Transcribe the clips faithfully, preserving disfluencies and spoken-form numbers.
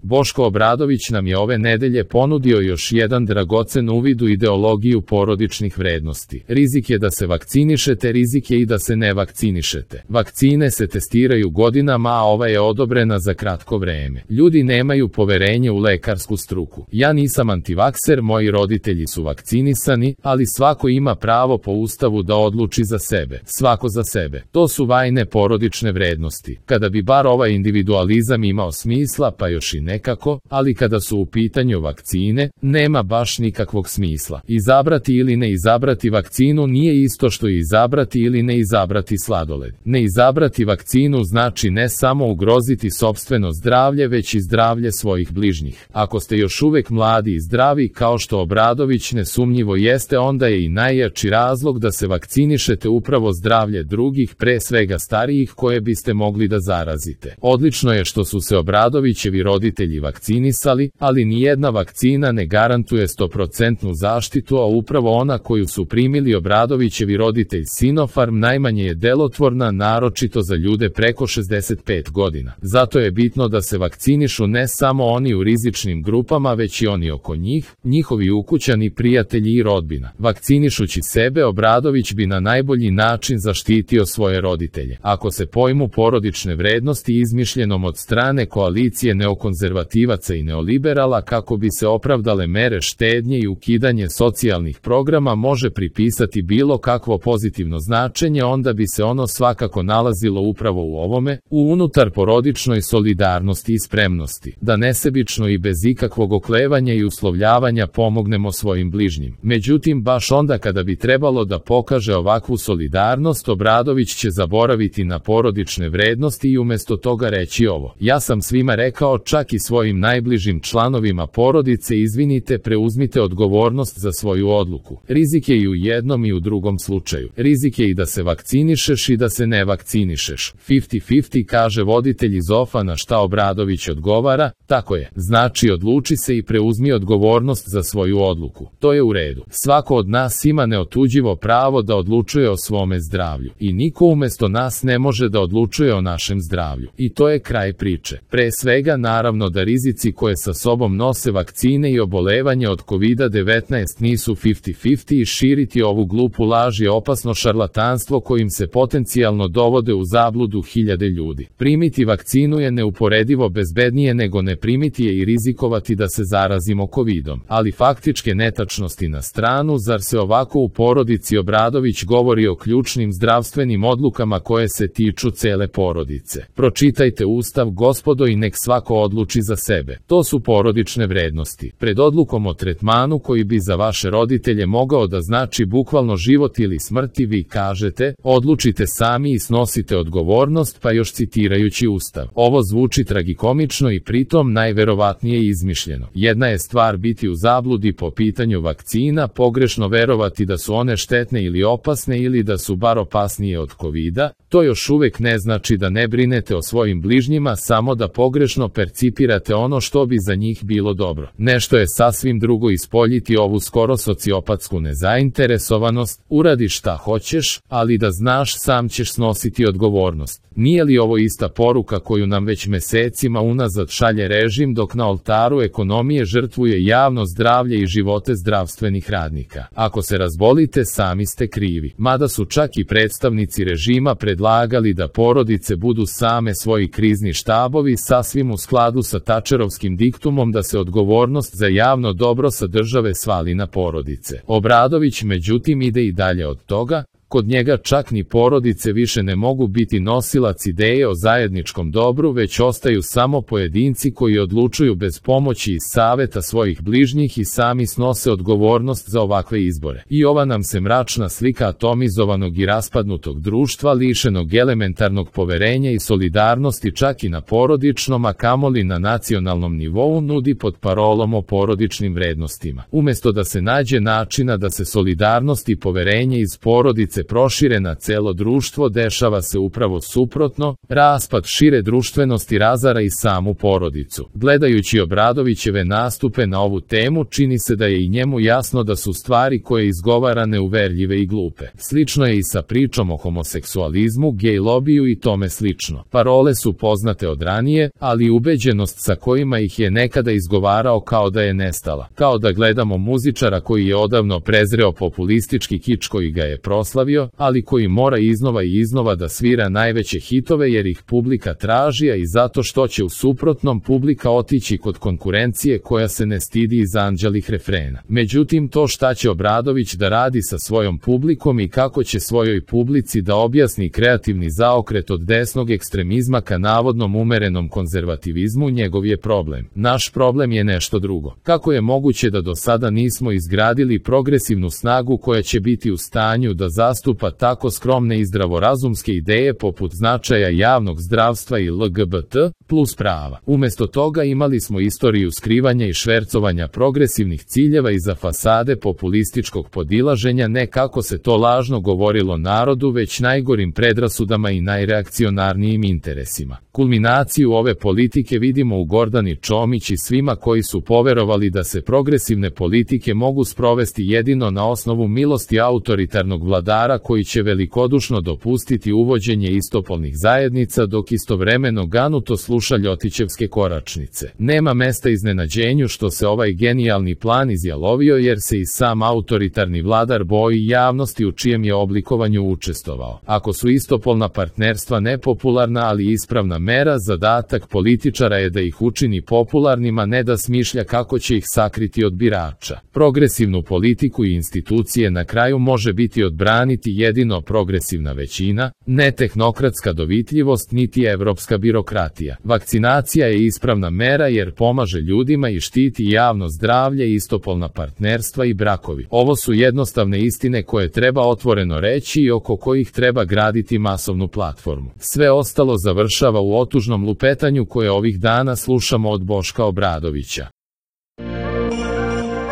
Boško Obradović nam je ove nedelje ponudio još jedan dragocen uvid u ideologiju porodičnih vrednosti. Rizik je da se vakcinišete, rizik je i da se ne vakcinišete. Vakcine se testiraju godinama, a ova je odobrena za kratko vreme. Ljudi nemaju poverenje u lekarsku struku. Ja nisam antivakser, moji roditelji su vakcinisani, ali svako ima pravo po Ustavu da odluči za sebe. Svako za sebe. To su vajne porodične vrednosti. Kada bi bar ovaj individualizam imao smisla, pa još i nekako, ali kada su u pitanju vakcine, nema baš nikakvog smisla. Izabrati ili ne izabrati vakcinu nije isto što izabrati ili ne izabrati sladoled. Ne izabrati vakcinu znači ne samo ugroziti sopstveno zdravlje, već i zdravlje svojih bližnjih. Ako ste još uvek mladi i zdravi, kao što Obradović nesumnjivo jeste, onda je i najjači razlog da se vakcinišete upravo zdravlje drugih, pre svega starijih, koje biste mogli da zarazite. Odlično je što su se Obradovićevi roditelji vakcinisali, ali nijedna vakcina ne garantuje sto posto zaštitu, a upravo ona koju su primili Obradovićevi roditelj Sinopharm najmanje je delotvorna, naročito za ljude preko šezdeset pet godina. Zato je bitno da se vakcinišu ne samo oni u rizičnim grupama, već i oni oko njih, njihovi ukućani, prijatelji i rodbina. Vakcinišući sebe, Obradović bi na najbolji način zaštitio svoje roditelje. Ako se pojmu porodične vrednosti izmišljenom od strane koalicije neokonzervativaca i neoliberala kako bi se opravdale mere štednje i ukidanje socijalnih programa može pripisati bilo kakvo pozitivno značenje, onda bi se ono svakako nalazilo upravo u ovome, u unutar porodičnoj solidarnosti i spremnosti, da nesebično i bez ikakvog oklevanja i uslovljavanja pomognemo svojim bližnjim. Međutim, baš onda kada bi trebalo da pokaže ovakvu solidarnost, Obradović će zaboraviti na porodične vrednosti i umesto toga reći ovo: ja sam svima rekao, čak i svojim najbližim članovima porodice, izvinite, preuzmite odgovornost za svoju odluku. Rizik je i u jednom i u drugom slučaju. Rizik je i da se vakcinišeš i da se ne vakcinišeš. pedeset pedeset, kaže voditelj iz ofa, na šta Obradović odgovara: tako je, znači odluči se i preuzmi odgovornost za svoju odluku. To je u redu. Svako od nas ima neotuđivo pravo da odlučuje o svome zdravlju. I niko umesto nas ne može da odlučuje o našem zdravlju. I to je kraj priče. Pre svega, naravno da rizici koje sa sobom nose vakcine i obolevanje od kovid devetnaest nisu pedeset pedeset i širiti ovu glupu laž je opasno šarlatanstvo kojim se potencijalno dovode u zabludu hiljade ljudi. Primiti vakcinu je neuporedivo bezbednije nego ne primiti je i rizikovati da se zarazimo kovidom. Ali faktičke netačnosti na stranu, zar se ovako u porodici Obradović govori o ključnim zdravstvenim odlukama koje se tiču cele porodice? Pročitajte Ustav, gospodo, i nek svako odluči za sebe. To su porodične vrednosti. Pred odlukom o tretmanu koji bi za vaše roditelje mogao da znači bukvalno život ili smrti, vi kažete: odlučite sami i snosite odgovornost, pa još citirajući Ustav. Ovo zvuči tragikomično i pritom najverovatnije izmišljeno. Jedna je stvar biti u zabludi po pitanju vakcina, pogrešno verovati da su one štetne ili opasne ili da su bar opasnije od kovida. To još uvek ne znači da ne brinete o svojim bližnjima, samo da pogrešno percipirate ono što bi za njih bilo dobro. Nešto je sasvim drugo ispoljiti ovu skoro sociopatsku nezainteresovanost: uradi šta hoćeš, ali da znaš sam ćeš snositi odgovornost. Nije li ovo ista poruka koju nam već mesecima unazad šalje režim, dok na oltaru ekonomije žrtvuje javno zdravlje i živote zdravstvenih radnika? Ako se razbolite, sami ste krivi. Mada su čak i predstavnici režima predlagali da porodice budu same svoji krizni štabovi, sasvim u skladu sa Tačerovskim diktumom da se odgovornost za javno dobro sa države svali na porodice. Obradović međutim ide i dalje od toga. Kod njega čak ni porodice više ne mogu biti nosilac ideje o zajedničkom dobru, već ostaju samo pojedinci koji odlučuju bez pomoći i saveta svojih bližnjih i sami snose odgovornost za ovakve izbore. I ova nam se mračna slika atomizovanog i raspadnutog društva, lišenog elementarnog poverenja i solidarnosti čak i na porodičnom, a kamoli na nacionalnom nivou, nudi pod parolom o porodičnim vrednostima. Umesto da se nađe načina da se solidarnost i poverenje iz porodice se prošire na celo društvo, dešava se upravo suprotno, raspad šire društvenosti razara i samu porodicu. Gledajući Obradovićeve nastupe na ovu temu, čini se da je i njemu jasno da su stvari koje izgovara neuverljive i glupe. Slično je i sa pričom o homoseksualizmu, gej lobiju i tome slično. Parole su poznate od ranije, ali ubeđenost sa kojima ih je nekada izgovarao kao da je nestala. Kao da gledamo muzičara koji je odavno prezreo populistički kič koji ga je proslavio, ali koji mora iznova i iznova da svira najveće hitove jer ih publika traži, a i zato što će u suprotnom publika otići kod konkurencije koja se ne stidi izanđelih refrena. Međutim, to šta će Obradović da radi sa svojom publikom i kako će svojoj publici da objasni kreativni zaokret od desnog ekstremizma ka navodnom umerenom konzervativizmu, njegov je problem. Naš problem je nešto drugo. Kako je moguće da do sada nismo izgradili progresivnu snagu koja će biti u stanju da zastupa tako skromne i zdravorazumske ideje poput značaja javnog zdravstva i L G B T plus prava? Umesto toga imali smo istoriju skrivanja i švercovanja progresivnih ciljeva iza fasade populističkog podilaženja, ne kako se to lažno govorilo narodu, već najgorim predrasudama i najreakcionarnijim interesima. Kulminaciju ove politike vidimo u Gordani Čomić i svima koji su poverovali da se progresivne politike mogu sprovesti jedino na osnovu milosti autoritarnog vladara koji će velikodušno dopustiti uvođenje istopolnih zajednica dok istovremeno ganuto sluša ljotićevske koračnice. Nema mesta iznenađenju što se ovaj genijalni plan izjalovio jer se i sam autoritarni vladar boji javnosti u čijem je oblikovanju učestvovao. Ako su istopolna partnerstva nepopularna ali ispravna mera, zadatak političara je da ih učini popularnima, ne da smišlja kako će ih sakriti od birača. Progresivnu politiku i institucije na kraju može biti odbraniti jedino progresivna većina, ne tehnokratska dovitljivost niti evropska birokratija. Vakcinacija je ispravna mera jer pomaže ljudima i štiti javno zdravlje, istopolna partnerstva i brakovi. Ovo su jednostavne istine koje treba otvoreno reći i oko kojih treba graditi masovnu platformu. Sve ostalo završava u otužnom lupetanju koje ovih dana slušamo od Boška Obradovića.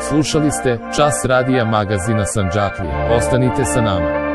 Slušali ste Čas radija magazina Sandžaklije. Ostanite sa nama.